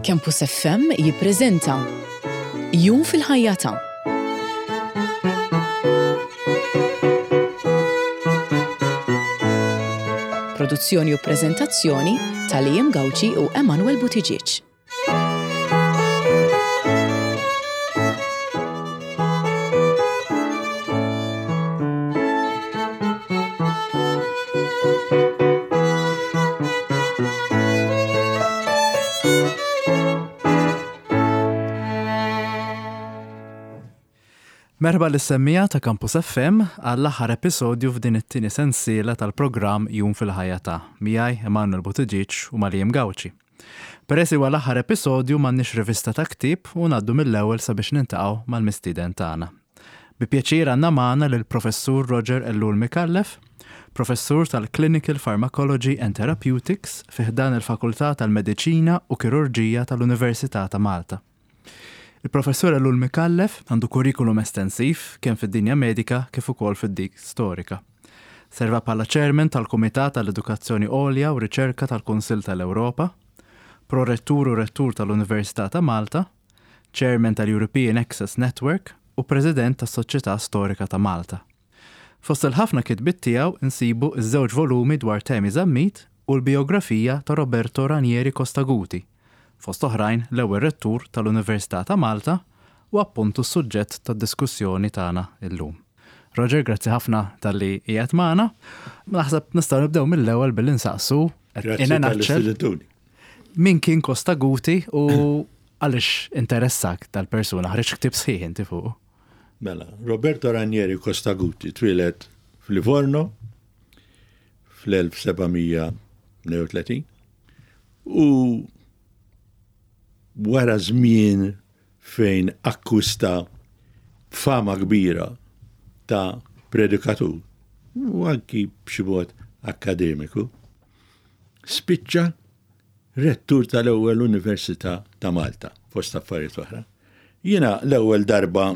Campus FM jippreżenta Jum fil-ħajja ta' Produzzjoni u preżentazzjoni ta' Liam Gauci u Emanuel Buttigieg. Merħba lis-semmiegħa ta' Campus FM għall-aħħar episodju f'din it-tieni sensiela tal-programm Jum fil-Ħajja ta' miegħi Emanuel Buttigieg u Maliem Gauci. Peress li huwa l-aħħar episodju m'għandniex rivista ta' ktieb u ngħaddu mill-ewwel sabiex niltaqgħu mal-mistieden tagħna. Bi pjaċir għandna magħna lill-Professur Roger Ellul Micallef, Professur tal-Clinical Pharmacology and Therapeutics fi ħdan il-Fakultà tal-Mediċina u Kirurġija tal-Università ta' Malta. Il-Professur Ellul Micallef għandu kurrikulum estensiv kemm fid-dinja medika kif ukoll fid-dik storika. Serva bħala Chairman tal-Kumitat għall-Edukazzjoni Għolja u Riċerka tal-Kunsill tal-Ewropa, Pro-Rettur u Rettur tal-Università ta' Malta, Chairman tal-European Access Network u President tas-Soċjetà Storika ta' Malta. Fost il-ħafna kitbiet tiegħu nsibu ż-żewġ volumi dwar Temi Zammit u l-bijografija ta' Roberto Ranieri Costaguti, fost oħrajn l-ewwel Rettur tal-Università ta' Malta u appuntu s-suġġett tad-diskussjoni tagħna llum. Roger, grazzi ħafna talli qiegħed magħna. Naħseb nistgħu nibdew mill-ewwel billi nsaqsu in a nutshell. Min kien Costaguti u għaliex interessak dal-persuna? Ħriġt ktieb sħiħ inti fuqu. Mela, Roberto Ranieri Costaguti twieled f'Livorno fl-1732 u wara żmien fejn akkwista fama kbira ta' predikatur u anki b'xi mod akkademiku, spiċċa rettur tal-ewwel Università ta' Malta, fost affarijiet oħra. Jiena l-ewwel darba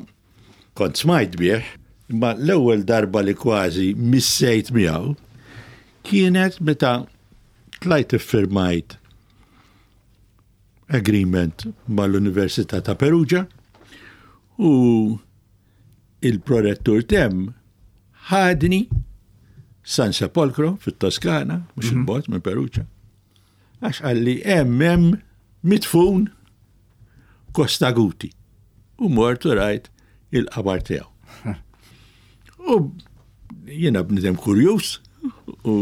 kont smajt bih, imma l-ewwel darba li kważi missejt miegħu kienet meta tlajt iffirmajt agreement mal-Università ta' Perugia u il-prorettur tem ħadni San Sepolcro fit-Toskana, mhux mhm. il-bot minn Perugia. Għax qalli hemm hemm midfun Costaguti. U mort u rajt il-qabar tiegħu. U jiena bnidem kurjuż u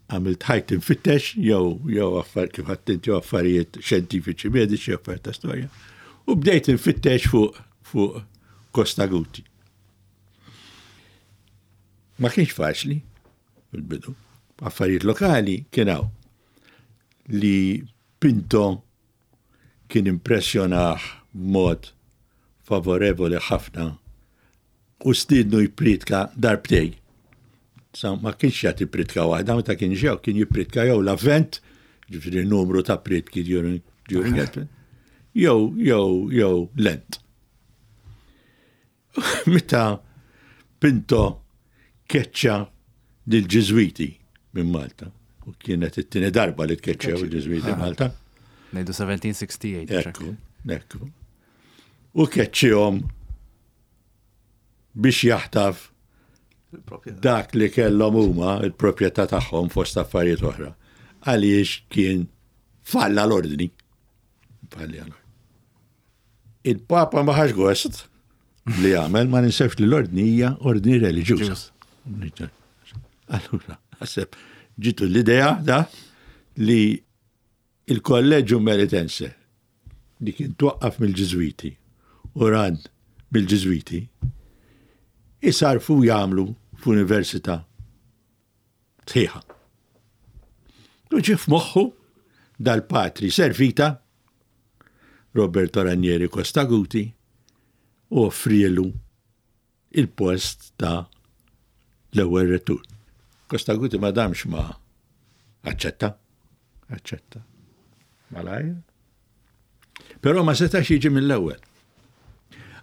għamilt ħajt infittex jew jew affar kif għattint jew affarijiet xjentifiċi mediċi affarijiet ta' storja. U bdejt infittex fuq fuq Costaguti. Ma kienx faċli fil-bidu. Affarijiet lokali kien hawn li Pinto kien impressjonah b'mod favorevoli ħafna u stiednu jippriedka darbtejn. Sa ma kienx jagħti priedka waħda, meta kien ġew kien jippriedka jew l-Avvent, ġifieri numru ta' priedki during, during Advent, jew jew jew Lent. Meta Pinto keċċa lill-Ġiżwiti minn Malta, u kienet it-tieni darba li tkeċċew il-Ġiżwiti ah. Malta. Ngħidu 1768. Ekku, ekku. U keċċihom biex jaħtaf dak li kellhom huma il-proprjetà tagħhom fost affarijiet oħra. Għaliex kien falla l-ordni. Falla l-ordni. Il-Papa ma ħax gost li għamel, ma ninsewx li l-ordni hija ordni reliġjuża. Allura, ħaseb ġitu l-idea da li il-Kolleġġju Meritense li kien twaqqaf mill-Ġiżwiti u ran mill-Ġiżwiti isarfu jagħmlu f'università sħiħa. U ġie f'moħħu dal-patri Servita Roberto Ranieri Costaguti u offrielu il-post ta' l-ewwel rettur. Costaguti ma damx ma aċċetta. Aċċetta. Malajr. Però ma setax jiġi mill-ewwel.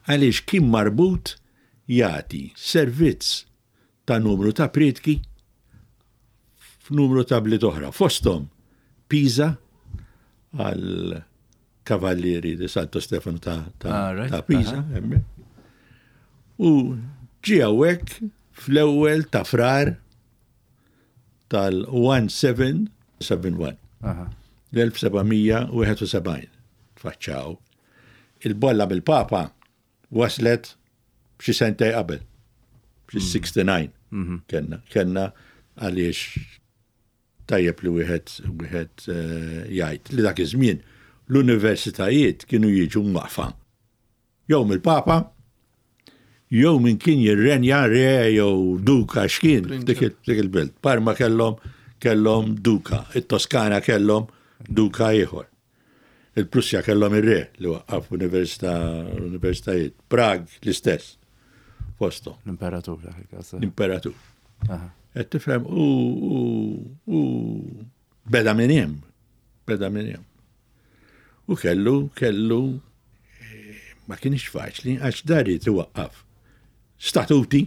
Għaliex kien marbut jagħti servizz ta' numru ta' prietki f'numru ta' bliet oħra, fosthom Pisa, għal Kavallieri di Santo Stefano ta', ta, ah, right. ta Pisa. Uh -huh. U ġie hawnhekk fl-ewwel ta' frar tal-1771. L-1771 tfaċċaw. Il-bolla mill-Papa waslet xi sentej qabel, xi 69 hmm. mhm. kenna, kenna għaliex tajjeb li wieħed wieħed eh, jgħid li dak iż-żmien l-universitajiet kienu jiġu mwaqfa jew mill-Papa jew min kien jirrenja re jew duka x'kien dik il-belt. Parma kellhom kellhom duka, it-Toskana kellhom duka ieħor. Il-Prussja kellhom ir-re li waqqaf università universitajiet. Prag l-istess fosthom. L-imperatur dak il-każ. L-imperatur. Qed tifhem u u beda minn hemm. Beda minn hemm. U kellu kellu eh, ma kienx faċli għax dar irid iwaqqaf statuti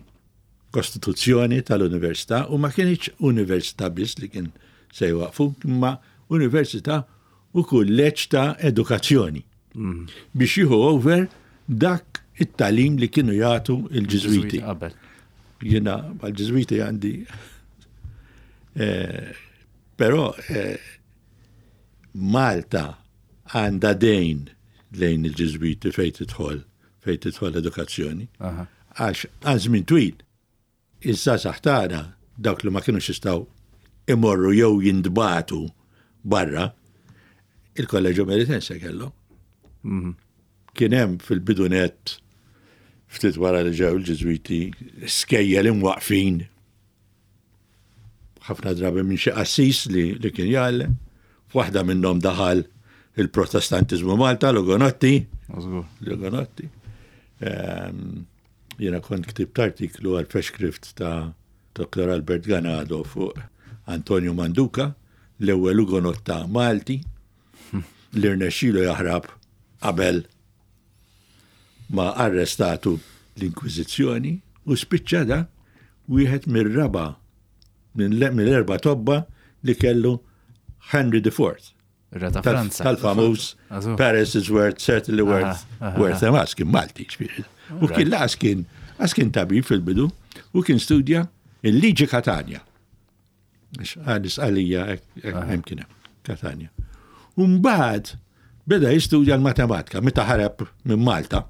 kostituzzjoni tal-università u ma kienx università biss li kien se jwaqfu, imma università u kulleġġ ta' edukazzjoni mm. biex jieħu over dak it-talim li kienu jagħtu il-Ġiżwiti. Jiena mal-Ġiżwiti għandi eh, però eh, Malta għandha dejn lejn il-Ġiżwiti fejn tidħol fejn tidħol edukazzjoni. Għax għal żmien twil Iż-żgħażagħ tagħna, dawk li ma kinux jistgħu imorru jew jintbagħtu barra, il-Kolleġġju Meritense kellhom. Mhm. Kien hemm fil-bidu nett ftit wara li ġew il-Ġiżwiti skejjel imwaqfin ħafna drabi minn xi qassis li, li kien jgħallem. F'waħda minnhom daħal il-Protestantiżmu Malta, l-Ugonotti. L-Ugonotti. Ehm, Jiena kont ktibt artiklu għal Feshkrift ta' Dottor Albert Ganado fuq Antonio Manduca, l-ewwel Ugonotta Malti li rnexxielu jaħrab qabel ma arrestatu l-Inkwiżizzjoni u spiċċa da wieħed mir-raba' mill-erba' tobba li kellu Henry IV. Re ta' Franza. Tal-famuż Paris is worth, certainly worth, worth a mask, kien Malti, ġifieri. U kien laqas kien, għas kien tabib fil-bidu, u kien studja il-liġi Katanja. Għalis għalija hemm kien hemm, Katanja. U mbagħad beda jistudja l-matematika meta ħarab minn Malta.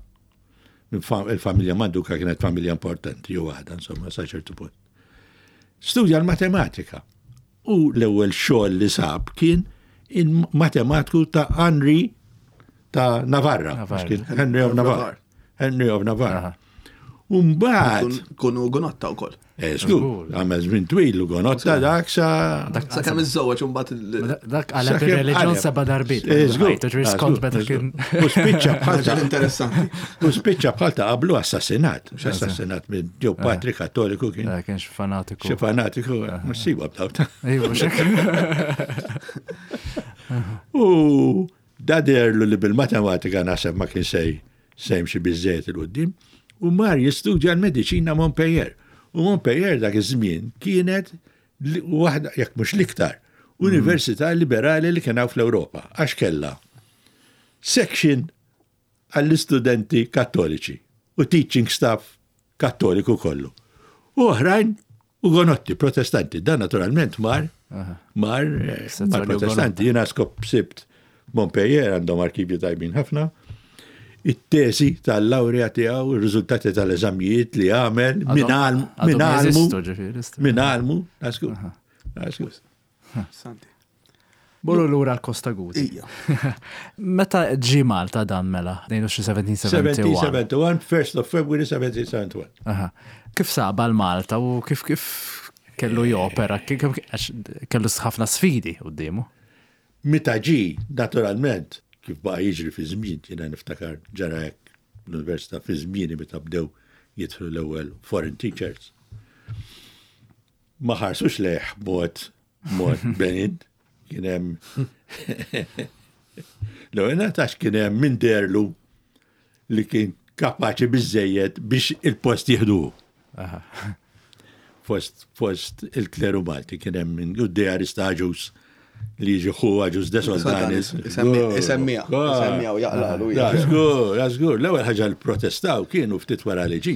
Il-familja Manduka kienet familja importanti, jew għadha, insomma, sa ċertu punt. Studja l-matematika. U l-ewwel xogħol li sab kien il-matematiku ta' Henry ta' Navarra. Henry of Navarre. Henry of Navarre. Umbat. Kunu gonotta u koll. Eh, żgur, għamel żmien twil u gonotta dak sa. Sa kemm iżżewweġ imbagħad. Dak għaleb ir-reliġjon seba' darbiet. Eh, żgur. Skont meta kien. U spiċċa bħal ta' interessanti. U spiċċa bħal ta' qablu assassinat. Mhux assassinat minn jew eh. patri kattoliku kien. Eh, kien xi fanatiku. Xi fanatiku, mhux siwa b'daw ta' Iva, U da derlu li bil-matematika naħseb ma kien sej se jimxi biżżejjed 'il quddiem, u mar jistudja l-mediċina Montpellier. U Montpellier dak iż-żmien kienet waħda, jekk mhux l-iktar, università liberali li kien hawn fl-Ewropa, għax kellha section għall-istudenti kattoliċi u teaching staff Kattoliku kollu. U oħrajn Ugonotti, protestanti. Dan naturalment mar, mar, eh, mar protestanti. Jina skop sibt Montpellier għandhom arkivju tajbin ħafna. It-tesi tal-laurea tiegħu, ir-riżultati tal-eżamijiet li għamel minn għalmu. Minn għalmu, nasku. Nasku. Santi. Morru lura l-Kosta Guti. Meta ġi Malta dan mela? Ngħidu xi 1771. 1771, 1st of February 1771. Aha. Kif saba l-Malta u kif kif kellu jopera, għax kellu ħafna sfidi quddiemu. Meta ġi, naturalment, kif baqa' jiġri fi żmien, jiena niftakar ġara hekk l-università fi żmieni meta bdew jidħlu l-ewwel foreign teachers. Ma ħarsux lejh b'mod mod benign, kien hemm l-ewwel għax kien hemm min derlu li kien kapaċi biżejjed biex il-post jieħdu. Fost, fost il-kleru Malti kien hemm min u d-djar istaġus. li jiġi ħu Agius de Soldanis. Isemmija, isemmija u jaqlalu. Da, żgur, da, żgur. L-ewwel ħaġa li protestaw kienu ftit wara li ġi.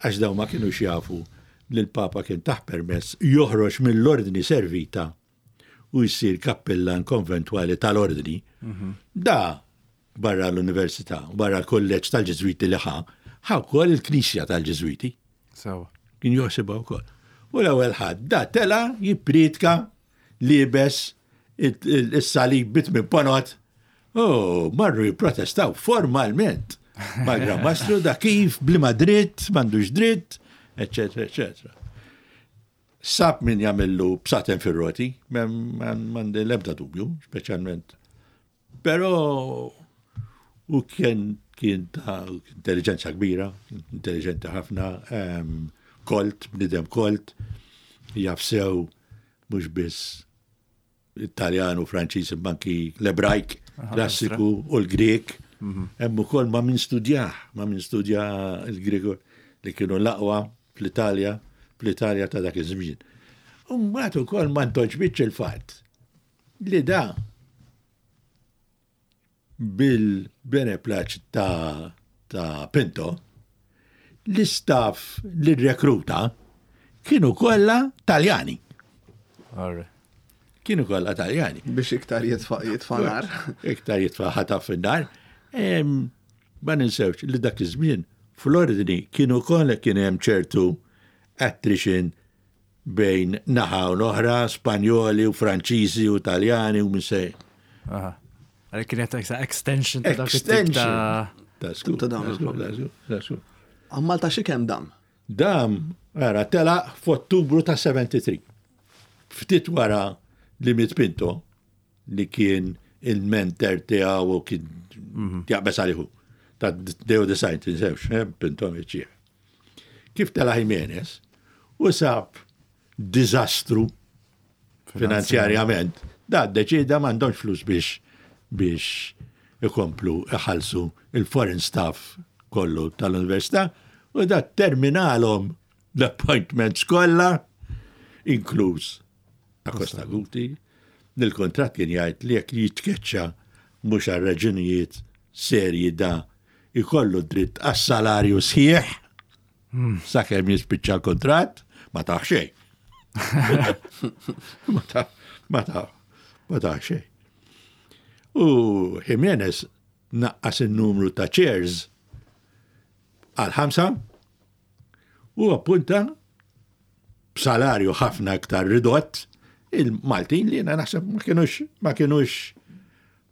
Għax daw ma kienux jafu li l-Papa kien taħ permess joħroġ mill-ordni servita u jsir kappillan konventwali tal-ordni. Da barra l-università, barra l-kolleġġ tal-Ġiżwiti li ħa, ħa wkoll il-knisja tal-Ġiżwiti. Sewa. Kien joħsibha wkoll. U l-ewwel ħadd da tela jippriedka liebes is-salib bit minn ponot. U marru jipprotestaw formalment mal-Gran Mastru da kif bliema dritt, m'għandux dritt, eċetera, eċetera. Sab min jagħmillu bsaten fir-roti, m'għandi l-ebda dubju, speċjalment. Però u kien kien ta' intelligenza kbira, intelligenti ħafna, kolt, bnidem kolt, jaf sew mhux biss Italjan u Franċiż imma anki l-Ebrajk klassiku u l-Grek. Mhm. Hemm ukoll ma' min studjah, ma' min studja l-Grek li kienu l-aqwa fl-Italja, fl-Italja ta' dak iż-żmien. U mbagħad ukoll ma ntoġbitx il-fatt li da bil-beneplaċ ta' ta' Pinto, l-istaff li rrekruta kienu kollha Taljani. Kienu kollha Taljani. Biex iktar jitfa' jitfa' nar. Iktar jitfa' ħataf fin-nar. Ma ninsewx li dak iż-żmien fl-ordni kienu kollha kien hemm ċertu attrition bejn naħa u l-oħra, Spanjoli u Franċiżi u Taljani u min se. Għalhekk kienet extension ta' dak it-tip ta' Ta' skur. Ta' dawn il-problemi. Għal Malta xi kemm dam? Dam, ara, telaq f'Ottubru ta' 73. Ftit wara li miet Pinto, li kien il-mentor tiegħu u kien mhm. jaqbeż għalihu. Ta' Deo Design, tinsewx, eh, Pinto miċċieħ. Kif tela' Jimenez u sab diżastru finanzjarjament, da ddeċieda m'għandhomx flus biex biex ikomplu iħallsu il-foreign staff kollu tal-università u da terminalhom l-appointments kollha inkluż Acosta Guti, li l-kuntratt kien jgħid li jekk jitkeċċa mhux għal raġunijiet serji da jkollu dritt għas-salarju sħiħ hmm. sakemm jispiċċa l-kuntratt, ma taħ xejn. Ma taħ, ma taħ, ma taħ xejn. U Jimenez naqqas in-numru ta' chairs għal ħamsa u appunta b'salarju ħafna iktar ridott il-Maltin li jiena naħseb ma kienux ma kienux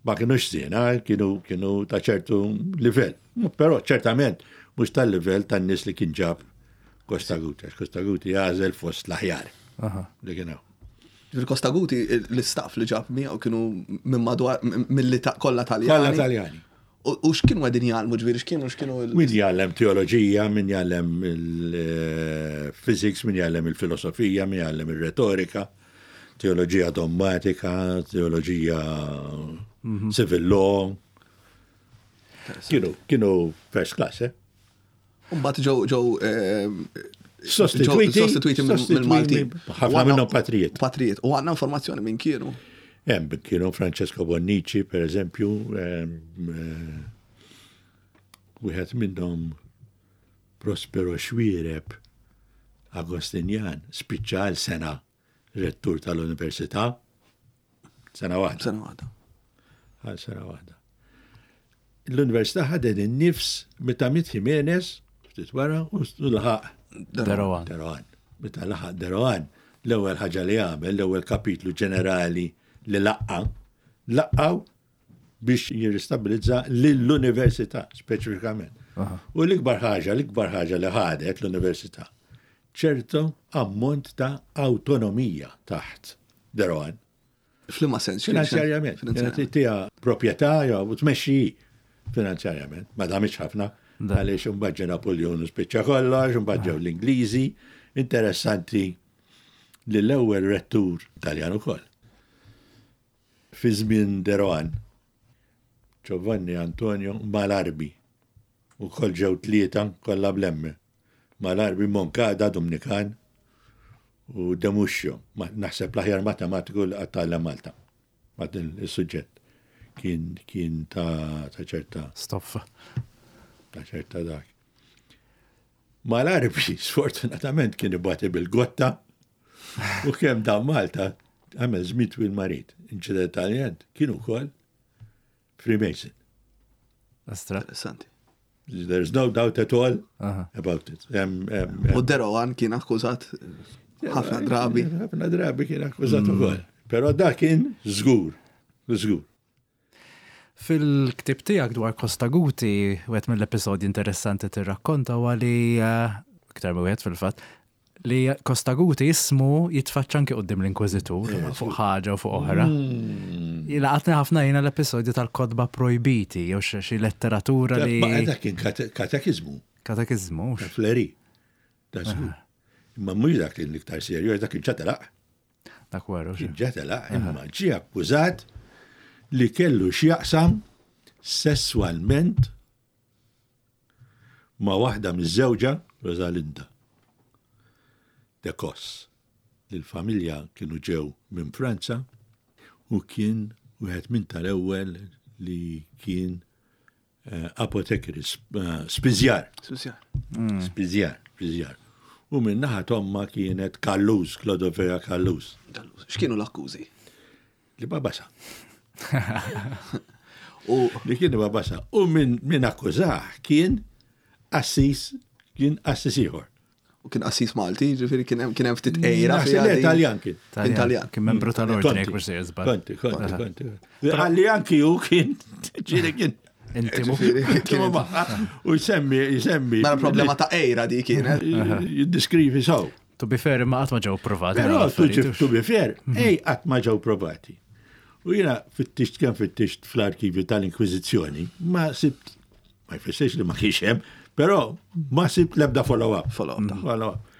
ma kienux żiena, kienu kienu ta' ċertu livell. Però ċertament mhux tal-livell tan-nies li kien ġab Costa Guti, għax Costa Guti għażel fost l-aħjar li kien hawn. Il-Costa Guti l-istaff li ġab miegħu kienu minn madwar mill kollha Taljani. Kollha Taljani. U x'kienu qegħdin jgħallmu ġifieri x'kienu x'kienu il. Min jgħallem teoloġija, min jgħallem il-physics, min jgħallem il-filosofija, min jgħallem ir-retorika, teoloġija dommatika, teoloġija mhm. civil law. Kienu, kienu first class, eh? Mbagħad ġew ġew eh, Sostituiti, sostituiti mill-Malti. Ħafna minnhom patrijiet. Patrijiet. U għandna informazzjoni minn kienu. Hemm kienu Francesco Bonnici, per eżempju, eh, wieħed minnhom Prospero Xwiereb Agostinjan spiċċa għal sena rettur tal-Università. Sena waħda. Sena waħda. Għal sena waħda. L-Università ħadet in-nifs meta miet Jimenez, ftit wara, u laħaq. Deroan. Deroan. Meta laħaq Deroan, l-ewwel ħaġa li għamel, l-ewwel kapitlu ġenerali li laqqa, laqgħu biex jirristabilizza lill-università speċifikament. U l-ikbar ħaġa, l-ikbar ħaġa li ħadet l-università, ċertu ammont ta' awtonomija taħt Deroan. F'liema sens? Finanzjarjament. Tija proprjetà jew tmexxi finanzjarjament. Ma damitx ħafna għaliex imbagħad ġie Napoleon u spiċċa kollox, imbagħad ġew l-Ingliżi. Interessanti li l-ewwel rettur Taljan ukoll. Fi żmien Deroan, Giovanni Antonio Malarbi, ukoll ġew tlieta kollha bl-M. Malarbi Moncada Dumnikan. U Demuxxio, naħseb l-aħjar matematiku li qatt tgħallem Malta. Ma' din is-suġġett kien kien ta' ċerta. Stoffa. Ta' ċerta dak. Mal-Arbi, sfortunatament kien ibati bil-gotta u kemm dan Malta għamel żmien twil marid. Inċidentalment kien ukoll Freemason. Astra. Interessanti. There's no doubt at all about it. U Derowan kien akkużat ħafna drabi. Ħafna drabi kien akkużat mm. ukoll. Però da kien żgur, żgur. Fil-ktib tiegħek dwar Costa Guti, wieħed mill-episodji interessanti tirrakkonta huwa li eh, iktar wieħed fil-fatt, li Costaguti ismu jitfaċċa anki quddiem l-Inkwiżitur fuq ħaġa u fuq oħra. Mm. Laqatni ħafna jiena l-episodju tal-kotba projbiti jew xi letteratura li. Dak kien katekiżmu. Katekiżmu. Fleri. Imma mhux dak l-iktar serju, dak kien ċatalaq. Dak waru. Kien ġatalaq, imma ġie akkużat li kellu x'jaqsam sesswalment ma' waħda miżżewġa, Rosalinda de Cos, li l-familja kienu ġew minn Franza u kien wieħed minn tal-ewwel li kien eh, apotekari, eh, spiżjar. Spiżjar. Mm. Spiżjar, spiżjar. U minn naħa tomma kienet Kallus, Klodovea Kallus. X'kienu l-akkużi? Li babasa. U li kien babasa. U minn min akkużah kien assis, kien assis ieħor. U kien assis Malti, ġifieri kien hemm kien hemm ftit ejra. Italjan kien. Italjan. Kien membru tal-ordni jekk mhux sejjer żball. Konti, konti, konti. Għalli anki hu kien, ġieli kien. Intimu. Intimu U jsemmi, jsemmi. Mela problema ta' ejra di kienet. Jiddiskrivi sew. To be fair, imma qatt ma ġew provati. Però to be fair, mhm. ej qatt ma ġew provati. U jiena fittixt kemm fittixt fl-arkivi tal-Inkwiżizzjoni, ma sibt, ma jfissirx li ma kienx hemm, però ma sibt l-ebda follow-up. Follow-up. Mhm. Follow-up.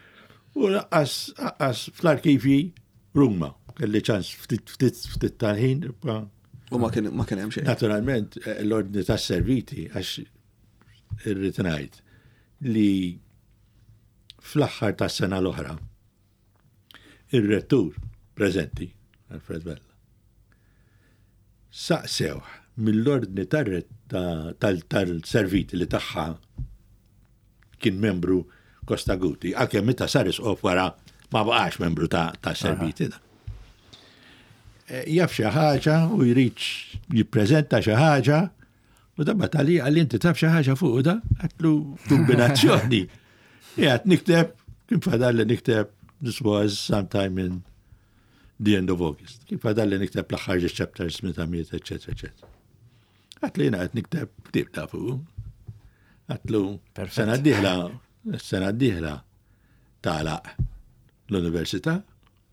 U laqqas fl-arkivi Ruma, kelli ċans ftit ftit ftit tal-ħin. U ma kien ma kien hemm xejn. Naturalment, eh, l-ordni tas-serviti għax irrid ngħid li Fl-aħħar tas-sena l-oħra, ir-rettur preżenti, Alfred Vella, saqsewh mill-ordni tal-serviti li tagħha kien membru Costaguti, għalkemm meta sar isqof wara ma baqax membru ta' serviti. Eh, jaf xi ħaġa u jrid jippreżenta xi ħaġa U dabba tali għalli inti taf xi ħaġa fuq da, għatlu kombinazzjoni. Jgħat nikteb, kien fadal li nikteb, this was sometime in the end of August. Kien fadal li nikteb l-aħħar chapters meta miet, eccetera, eccetera. Għatlu jena għat nikteb ktib ta' fuq. Għatlu, sena d-dieħla, sena d-dieħla tagħlaq l-università,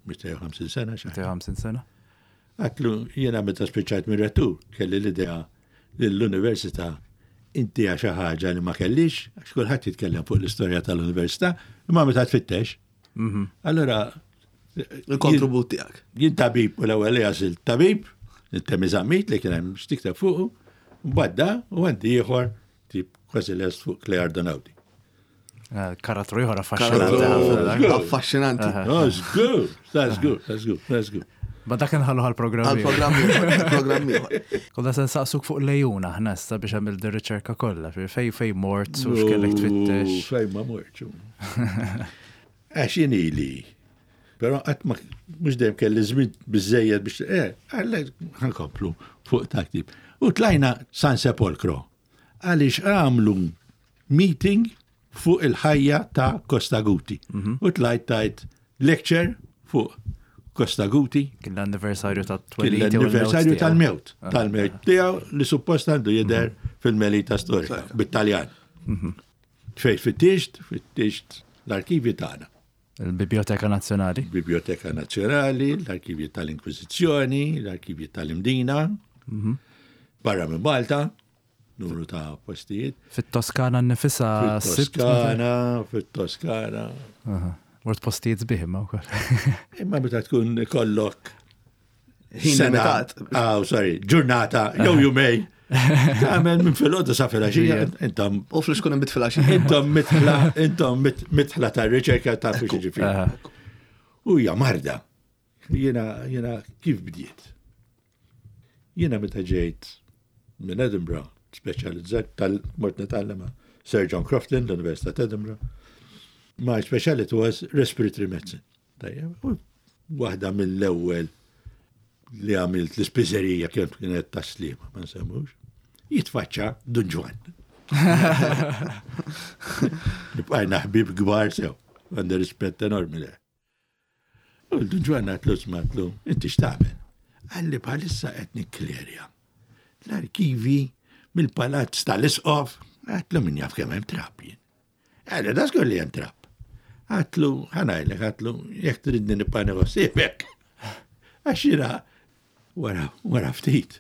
250 sena. 250 sena. Għedtlu, jiena meta spiċċajt mir-rettur kelli l-idea li l-università intiha xi ħaġa li ma kellix, għax kulħadd jitkellem fuq l-istorja tal-università, imma meta tfittex. Mhm. Allora Il-kontribut tiegħek. Jien tabib u l-ewwel li għażilt tabib, it-temi zammit li kien hemm x'tikteb fuqu, mbagħad da u għandi ieħor tip kważi lest fuq Claire Donauti. Eh, karattru ieħor affaxxinanti. Affaxxinanti. That's good, that's good, that's good, that's good. Ma dak nħallu għal-programm. Għal-programm programm ieħor. Konna se nsaqsuk fuq lejuna ħna issa biex għamil riċerka kollha, fej fej mort u x'kellek tfittex. Fej ma mort. Għax jien ili. Però qatt ma mhux dejjem kelli żmien biżejjed biex eh, ħankomplu fuq taktib. U tlajna San Sepolcro għaliex għamlu meeting fuq il-ħajja ta' Costaguti. Mhm. U tlajt tajt lecture fuq Costaguti. Kien l-anniversarju ta' twelid. Kien l-anniversarju tal-mewt. Ah. Tal-mewt tiegħu li suppost għandu jidher mhm. fil-Melita Storika bit-Taljan. Mhm. Fej fittixt, fittixt l-arkivi tagħna. Il-Biblioteka Nazzjonali. Biblioteka Nazzjonali, l-arkivji tal-Inkwiżizzjoni, l-arkivji tal-Imdina, barra minn Malta, numru ta' postijiet. Fit-Toskana nnifisha Fit-Toskana, fit-Toskana. Mort postijiet sbieħ imma wkoll. Imma meta tkun kollok ħin limitat. Ah, sorry, ġurnata, jew jumej. Tagħmel minn filgħodu sa filgħaxija, intom. U flux kun imbit filgħaxija. Intom mitħla, intom mitħla ta' riċerka ta' fuq ġifieri. U hija marda. Jiena jiena kif bdiet? Jiena meta ġejt minn Edinburgh, speċjalizzat tal mort nitgħallem Sir John Crofton, l-Università ta' Edinburgh. My speciality was respiratory medicine. Tajjeb, u waħda mill-ewwel li għamilt l-ispiżerija kienet kienet taslima, ma nsemmux, jitfaċċa Dun Ġwann. Nibqajna ħbib kbar sew, għandi rispett enormi le. U Dun Ġwann għatlu smatlu, inti x'tagħmel? Għalli bħalissa qed nikklerja. L-arkivi mill-palazz tal-isqof, għatlu min jaf kemm hemm trab jien. Għalli, da żgur li hemm trab. Għatlu, ħanajlek, għatlu, jekk tridni nibqa' neħossibek. Għax jiena wara, wara ftit,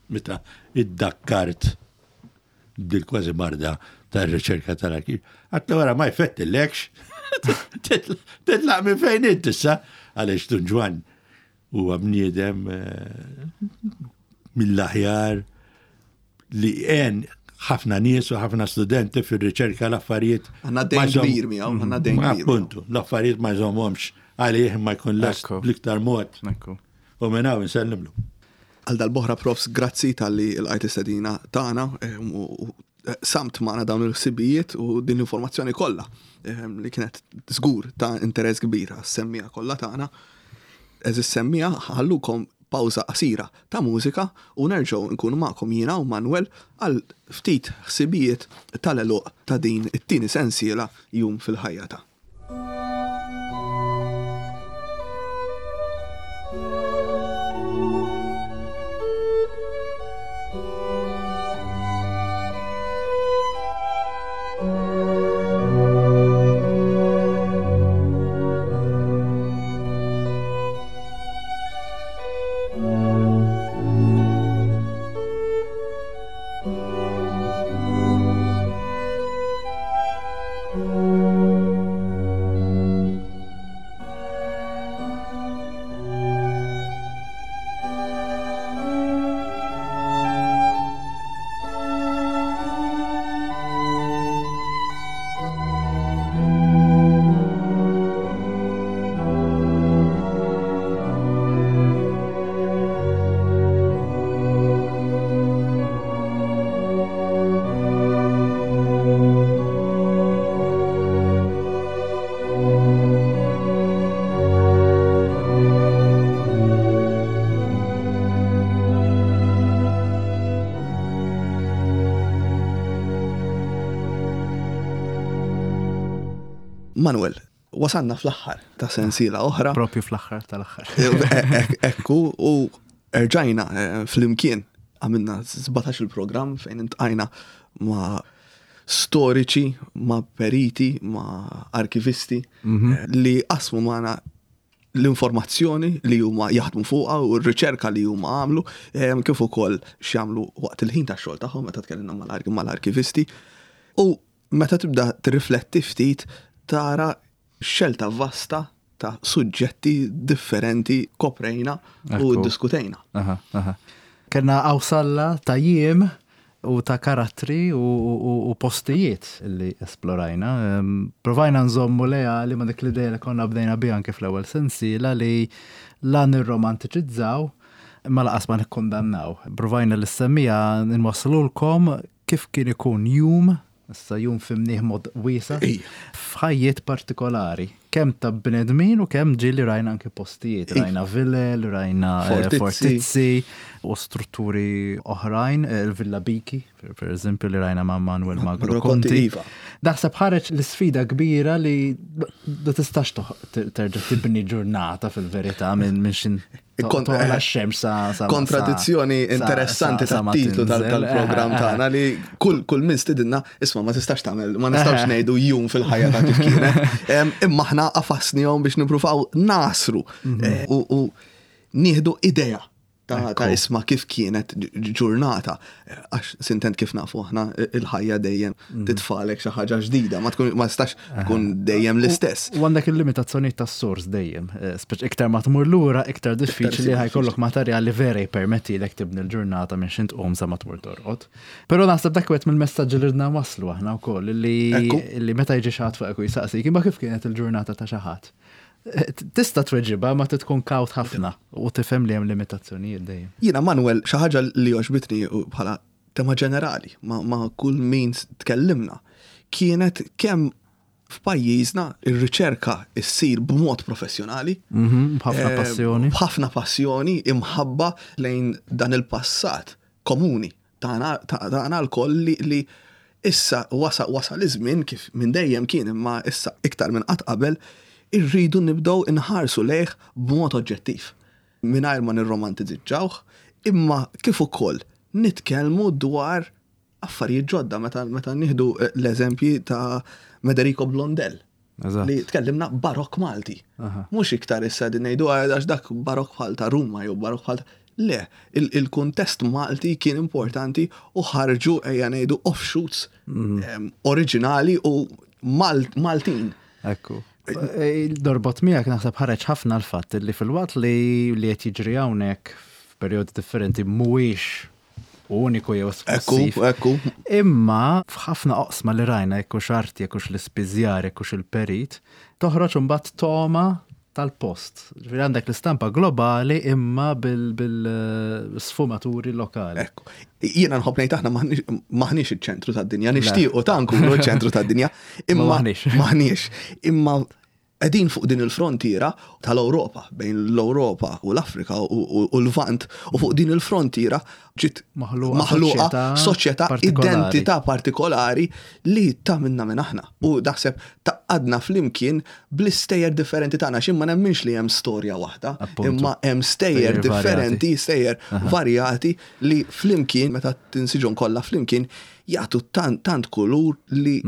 meta iddakkart dil kważi marda tar-riċerka tal-arkiv, għatlu wara ma jfettillekx, titlaq minn fejn int issa, għaliex Dun Ġwann huwa bniedem eh, mill-aħjar li għen ħafna nies u ħafna studenti fir-riċerka l-affarijiet. Għanna dejn kbir miegħu, għanna dejn kbir. Appuntu, l-affarijiet ma jżommhomx għalih ma jkun lest bl-iktar mod. U minn hawn insellimlu. Għal dal-boħra profs, grazzi tal-li l-għajt istedina tagħna eh, u eh, samt magħna dawn il-ħsibijiet u din l-informazzjoni kollha eh, li kienet żgur ta' interess kbir għas-semmija kollha tagħna. Eżis semmija ħallukom pawża qasira ta' mużika u nerġgħu nkunu magħkom jiena u Manuel għal ftit ħsibijiet tal-għeluq ta' din it-tieni sensiela Jum fil-Ħajja ta'. Manuel, wasanna fl-aħħar ta' sensiela oħra. Propju fl-aħħar tal-aħħar. E, e, ekku, u erġajna e, fl-imkien għamilna 17 il-program fejn intqajna ma' storiċi, ma' periti, ma' arkivisti mhm. li qasmu magħna l-informazzjoni li huma jaħdmu fuqha u r-riċerka li huma għamlu, kif ukoll x'jagħmlu waqt il-ħin tax-xogħol tagħhom meta tkellimna mal-arkivisti. U meta tibda tirrifletti ftit tara xelta vasta ta' suġġetti differenti koprejna u ddiskutejna. Kellna qawsalla ta' jiem u ta' karattri u postijiet li esplorajna. Provajna nżommu leali ma' dik l-idea li konna bdejna biha anke fl-ewwel sensiela li la nirromantiċizzaw imma laqas ma nikkundannaw. Provajna li s-semmiegħa nwasslulkom kif kien ikun jum, issa jum fhimnieh mod wiesa', f'ħajjiet partikolari, kemm ta' bnedmin u kemm ġieli rajna anke postijiet, rajna vilel, rajna eh, fortizzi u strutturi oħrajn, eh, il-Villa Biki, per eżempju, li rajna ma' Manuel Magro Conti. Iva. Naħseb ħareġ l-sfida kbira li ma tistax terġa' tibni ġurnata fil-verità minn xin Kontradizzjoni interessanti tat-titlu tal-programm tagħna li kull kull min stidinna isma' ma tistax tagħmel, ma nistgħux ngħidu jum fil-ħajja ta' kif kienet. Imma aħna qafasnihom biex nippruvaw nasru mhm. eh, u nieħdu idea ta' isma kif kienet ġurnata. Għax sintent kif nafu aħna il-ħajja dejjem mm. titfalek xi ħaġa ġdida, ma tkun ma tistax tkun dejjem l-istess. U għandek il-limitazzjoni tas-sors dejjem, eh, speċ iktar ma tmur lura, iktar diffiċli ħajkollok materjal li vera jippermettilek tibni l-ġurnata minn xint tqum sa ma tmur torqod. Però naħseb dak wieħed mill-messaġġi li ridna waslu aħna wkoll li meta jiġi xi ħadd fuqek u jsaqsik imma kif kienet il-ġurnata ta' xi ħadd. Tista' tweġibha ma tkun kawt ħafna u tifhem li hemm limitazzjonijiet dejjem. Jiena Manuel xi ħaġa li għoġbitni bħala tema ġenerali ma, ma kull min tkellimna kienet kemm f'pajjiżna ir-riċerka ssir b'mod professjonali. Mhm, b'ħafna eh, passjoni. B'ħafna passjoni, imħabba lejn dan il-passat komuni tagħna lkoll li, li issa wasal wasal iż-żmien kif minn dejjem kien imma issa iktar minn qatt qabel irridu nibdew inħarsu lejh b'mod oġġettiv. Mingħajr ma nirromantizzawh, imma kif ukoll nitkellmu dwar affarijiet ġodda meta meta nieħdu eh, l-eżempji ta' Mederico Blondel. Li tkellimna barok Malti. Mhux iktar issa din ngħidu ah, għax dak barok bħal ta' Ruma jew barok bħal Le, il-kuntest Malti kien importanti u ħarġu ejja ngħidu offshoots mhm. oriġinali u Maltin. Ekku. E, Dorbot miegħek naħseb ħareġ ħafna l-fatt li fil-waqt li li qed jiġri hawnhekk f'perjodi differenti mhuwiex uniku jew esklusiv. Ekku, ekku. Imma f'ħafna oqsma li rajna jekk hux arti, jekk hux l-ispiżjar, jekk hux il-perit, toħroġ imbagħad togħma tal-post. Ġifieri għandek l-istampa globali imma bil-sfumaturi lokali. Ekku. Jiena nħobb ngħid aħna maħniex iċ-ċentru tad-dinja, nixtiequ ta' nkunu ċ-ċentru tad-dinja, imma maħniex. Maħniex. Imma Qegħdin fuq din il-frontiera tal-Ewropa, bejn l-Ewropa u l-Afrika u l-Lvant, u fuq din il-frontiera ġiet maħluqa soċjetà identità partikolari li tagħmilna minn aħna. U naħseb tgħaqqadna flimkien bl-istejjer differenti tagħna għax jien ma nemminx li hemm storja waħda, imma hemm stejjer differenti, stejjer varjati li flimkien meta tinsiġhom kollha flimkien jagħtu tant tant kulur li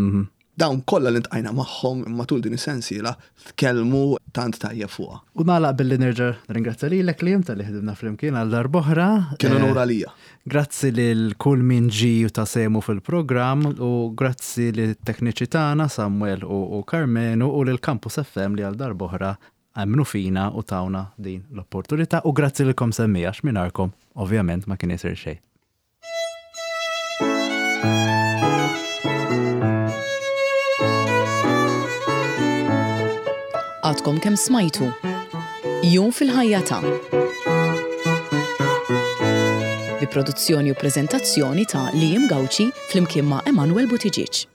Dawn kollha li ntqajna magħhom matul din is-sensiela tkellmu tant tajjeb fuqha. U nagħlaq billi nerġa' nirringrazzja lilek Liam talli ħdimna flimkien għal darb'oħra. Kien unur għalija. Grazzi lil kull min ġie u ta sehmu fil-programm u grazzi lit-tekniċi tagħna Samuel u Karmenu u lil Campus FM li għal darb'oħra emmnu fina u tawna din l-opportunità u grazzi lilkom semmiegħa għax mingħajrkom ovvjament ma kien isir xejn. Għadkom kemm smajtu Jum fil-ħajja ta' bi produzzjoni u preżentazzjoni ta' Liam Gauci flimkien ma' Emanuel Buttigieg.